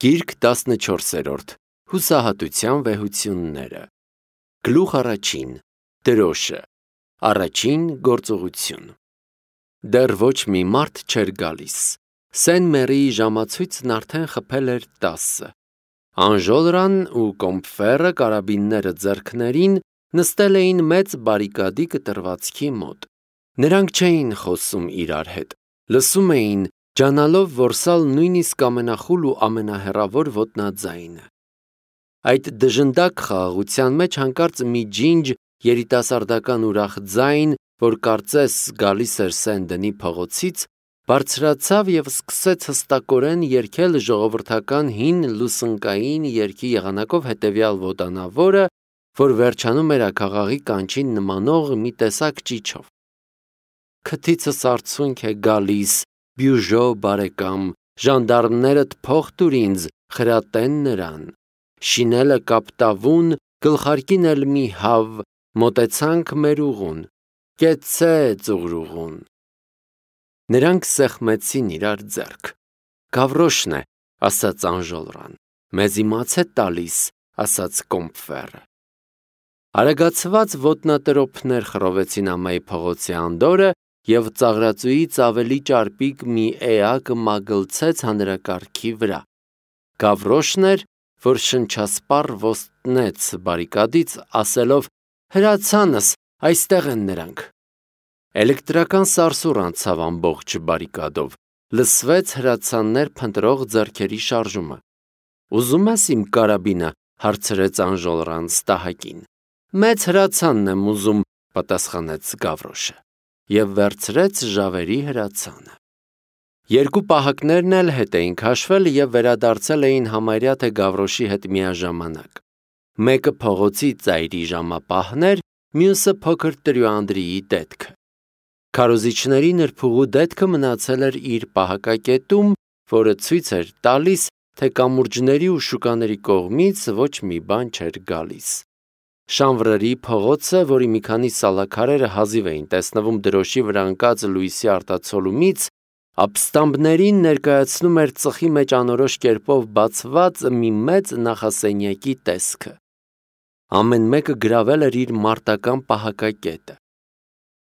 Գիրք 14-րդ Հուսահատության վեհությունները Գլուխ առաջին Դրոշը Առաջին գործողություն Դեռ ոչ մի մարդ չէր գալիս Սեն Մերիի ժամացույցն արդեն խփել էր 10 Անժոլրան ու Կոմփֆերը կարաբինները ձեռքներին նստել էին մեծ բարիկադի կտրվածքի մոտ Նրանք չէին խոսում իրար հետ Լսում էին Ջանալով, որ սալ նույնիսկ ամենախուլ ու ամենահեռավոր ոտնաձայնը Այդ դժնդակ խաղաղության մեջ հանկարծ մի ջինջ երիտասարդական ուրախ ձայն, որ կարծես գալիս էր Սենդենի փողոցից, բարձրացավ և սկսեց հստակորեն երգել ժողովրդական հին լուսնկային երգի եղանակով հետևյալ ոտանավորը, որ վերջանում էր աքաղաղի կանչին նմանող մի տեսակ ճիչով. Քթիցս արցունք է գալիս, Բյուժո բարեկամ, ժանդարմներդ փող տուր ինձ, խրատեն նրան, շինելը կապտավուն, գլխարկին էլ մի հավ, մոտեցանք մեր ուղուն, կեցցե ծուղրուղուն։ Նրանք սեղմեցին իրար ձեռք։ Գավրոշն է, ասաց Անժոլրան, մեզ իմաց է տալիս, ասաց Կոմփֆերը։ Արագացված ոտնատրոփներ խռովեցին ամայի փողոցի անդորը և ծաղրածուից ավելի ճարպիկ մի էակ մագլցեց հանրակարգի վրա։ Գավրոշն էր, որ շնչասպառ ոստնեց բարիկադից, ասելով. հրացանս, այստեղ են նրանք։ Էլեկտրական սարսուռ անցավ ամբողջ բարիկադով, լսվեց հրացաններ փնտրող ձեռքերի շարժումը։ Ուզում ես իմ կարաբինը, հարցրեց Անժոլրան ստահակին։ Մեծ հրացանն եմ ուզում, պատասխանեց Գավրոշը, և վերցրեց ժավերի հրացանը։ Երկու պահակներն էլ հետ էին քաշվել և վերադարձել էին համարյա թե Գավրոշի հետ միաժամանակ։ Մեկը փողոցի ծայրի ժամապահն էր, մյուսը փոքր տրյուանդրիի դետքը։ Քարոզիչների նրբուղու դետքը մնացել էր իր պահակակետում, որը ցույց էր տալիս, թե կամուրջների ու շուկաների կողմից ոչ մի բան չէր գալիս։ Շանվրերի փողոցը, որի մի քանի սալաքարերը հազիվ էին տեսնվում դրոշի վրա ընկած լույսի արտացոլումից, ապստամբներին ներկայացնում էր ծխի մեջ անորոշ կերպով բացված մի մեծ նախասենյակի տեսքը։ Ամեն մեկը գրավել էր իր մարտական պահակակետը։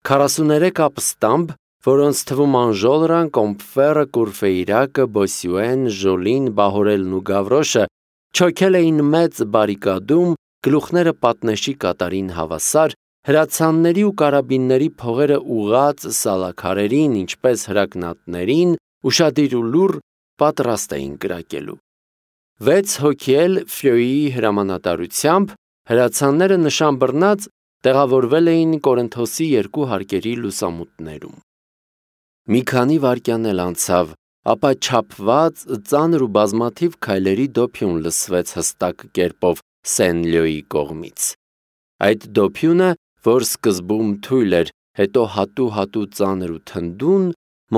43 ապստամբ, որոնց թվում Անժոլրան, Կոմփֆերը, Կուրֆեյրակը, Բոսյուեն, Ժոլին, Բահորելն ու Գավրոշը չոքել էին մեծ բարիկադում, գլուխները պատնեշի կատարին հավասար, հրացանների ու կարաբինների փողերը ուղղած սալաքարերին, ինչպես հրակնատներին, ուշադիր ու լուռ պատրաստ էին կրակելու։ 6 հոգի էլ Ֆրյոյի հրամանատարությամբ հրացանները նշան բռնած տեղավորվել էին Կորինթոսի երկու հարկերի լուսամուտներում։ Մի քանի վայրկյան էլ անցավ, ապա չափված, ծանր ու բազմաթիվ քայլերի դոփյուն լսվեց հստակ կերպով Սեն-Լյոյի կողմից։ Այդ դոփյունը, որ սկզբում թույլ էր, հետո հատու ծանր ու թնդուն,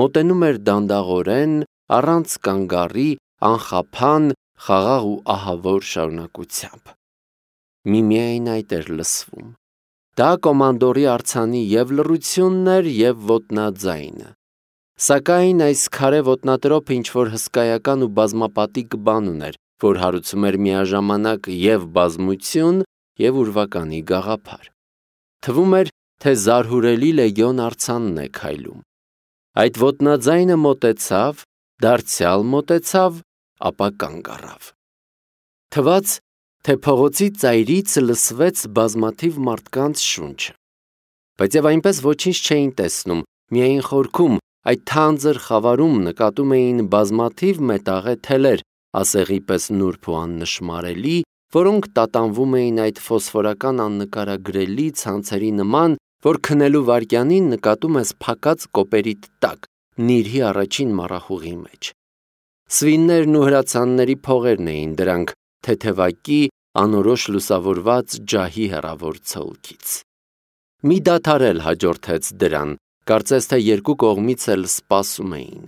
մոտենում էր դանդաղորեն, առանց կանգառի, անխափան, խաղաղ ու ահավոր շարունակությամբ։ Միմիայն այդ էր լսվում։ Դա կոմանդորի արձանի և լռությունն էր, և ոտնաձայնը։ Սակայն այս քարե ոտնատրոփը ինչ-որ հսկայական ու բազմապատիկ բան ուներ, որ հարուցում էր միաժամանակ և բազմություն, և ուրվականի գաղափար։ Թվում էր, թե զարհուրելի լեգիոն արձանն է քայլում։ Այդ ոտնաձայնը մոտեցավ, դարձյալ մոտեցավ, ապա կանգ առավ։ Թվաց, թե փողոցի ծայրից լսվեց բազմաթիվ մարդկանց շունչը։ Բայց և այնպես ոչինչ չէին տեսնում, միայն խորքում, այդ թանձր խավարում նկատում էին բազմաթիվ մետաղե թելեր, ասեղի պես նուրբ ու աննշմարելի, որոնք տատանվում էին այդ ֆոսֆորական աննկարագրելի ցանցերի նման, որ քնելու վայրկյանին նկատում ես փակած կոպերիդ տակ, նիրհի առաջին մառախուղի մեջ։ Սվիններն ու հրացանների փողերն էին դրանք, թեթևակի, անորոշ լուսավորված ջահի հեռավոր ցոլքից։ Մի դադար էլ հաջորդեց դրան, կարծես թե երկու կողմից էլ սպասում էին։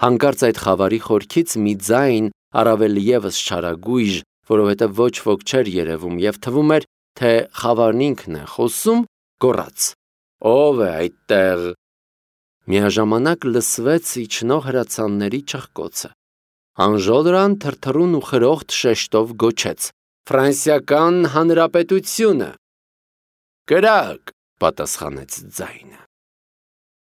Հանկարծ այդ խավարի խորքից մի ձայն, առավել ևս չարագույժ, որովհետև ոչ ոք չէր երևում և թվում էր, թե խավարն ինքն է խոսում, գոռաց. Ո՞վ է այդտեղ։ Միաժամանակ լսվեց իջնող հրացանների չխկոցը։ Անժոլրան թրթռուն ու խրոխտ շեշտով գոչեց. «Ֆրանսիական հանրապետությունը»։ «Կրակ», պատասխանեց ձայնը։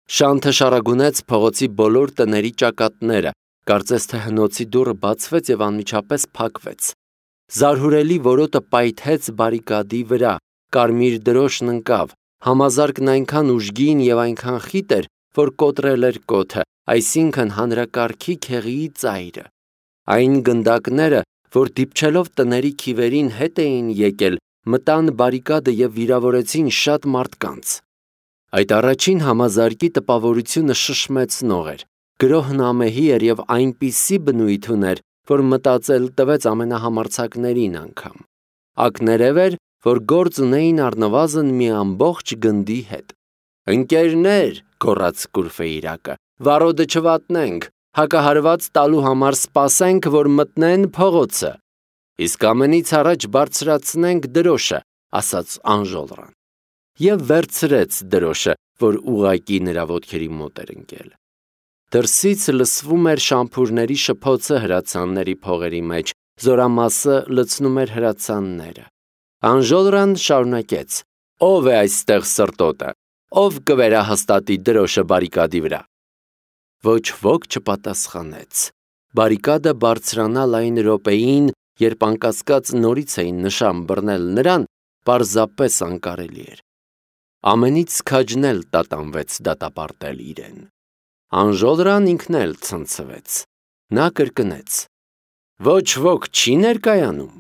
Շանթը շարագունեց փողոցի բոլոր տների ճակատները, կարծես թե հնոցի դուռը բացվեց և անմիջապես փակվեց։ Զարհուրելի որոտը պայթեց բարիկադի վրա, կարմիր դրոշն ընկավ, համազարկն այնքան ուժգին և այնքան խիտ էր, որ կոտրել էր կոթը, այսինքն հանրակարգի քեղիի ծայրը։ Այն գնդակները, որ դիպչելով տների քիվերին հետ էին եկել, մտան բարիկադը և վիրավորեցին շատ մարդկանց։ Այդ առաջին համազարկի տպավորությունը շշմեցնող էր, գրոհն ամեհի էր և այնպիսի բնույթ ուներ, որ մտածել տվեց ամենահամարձակներին անգամ։ Ակներև էր, որ գործ ունեին առնվազն մի ամբողջ գնդի հետ։ «Ընկերներ», գոռաց Կուրֆեյրակը, «վառոդը չվատնենք, հակահարված տալու համար սպասենք, որ մտնեն փողոցը»։ «Իսկ ամենից առաջ բարձրացնենք դրոշը», ասաց Անժոլրան։ Եվ վերցրեց դրոշը, որ ուղղակի նրա ոտքերի մոտ էր ընկել։ Դրսից լսվում էր շամփուրների շփոցը հրացանների փողերի մեջ, զորամասը լցնում էր հրացանները։ Անժոլրան շարունակեց. «Ո՞վ է այստեղ սրտոտը, ով կվերահաստատի դրոշը բարիկադի վրա»։ Ոչ ոք չպատասխանեց։ Բարիկադը բարձրանալ այն րոպեին, երբ անկասկած նորից էին նշան բռնել նրան, պարզապես անկարելի էր։ Ամենից քաջն էլ տատանվեց դատապարտել իրեն։ Անժոլրան ինքն էլ ցնցվեց։ Նա կրկնեց. «Ոչ ոք չի ներկայանում»։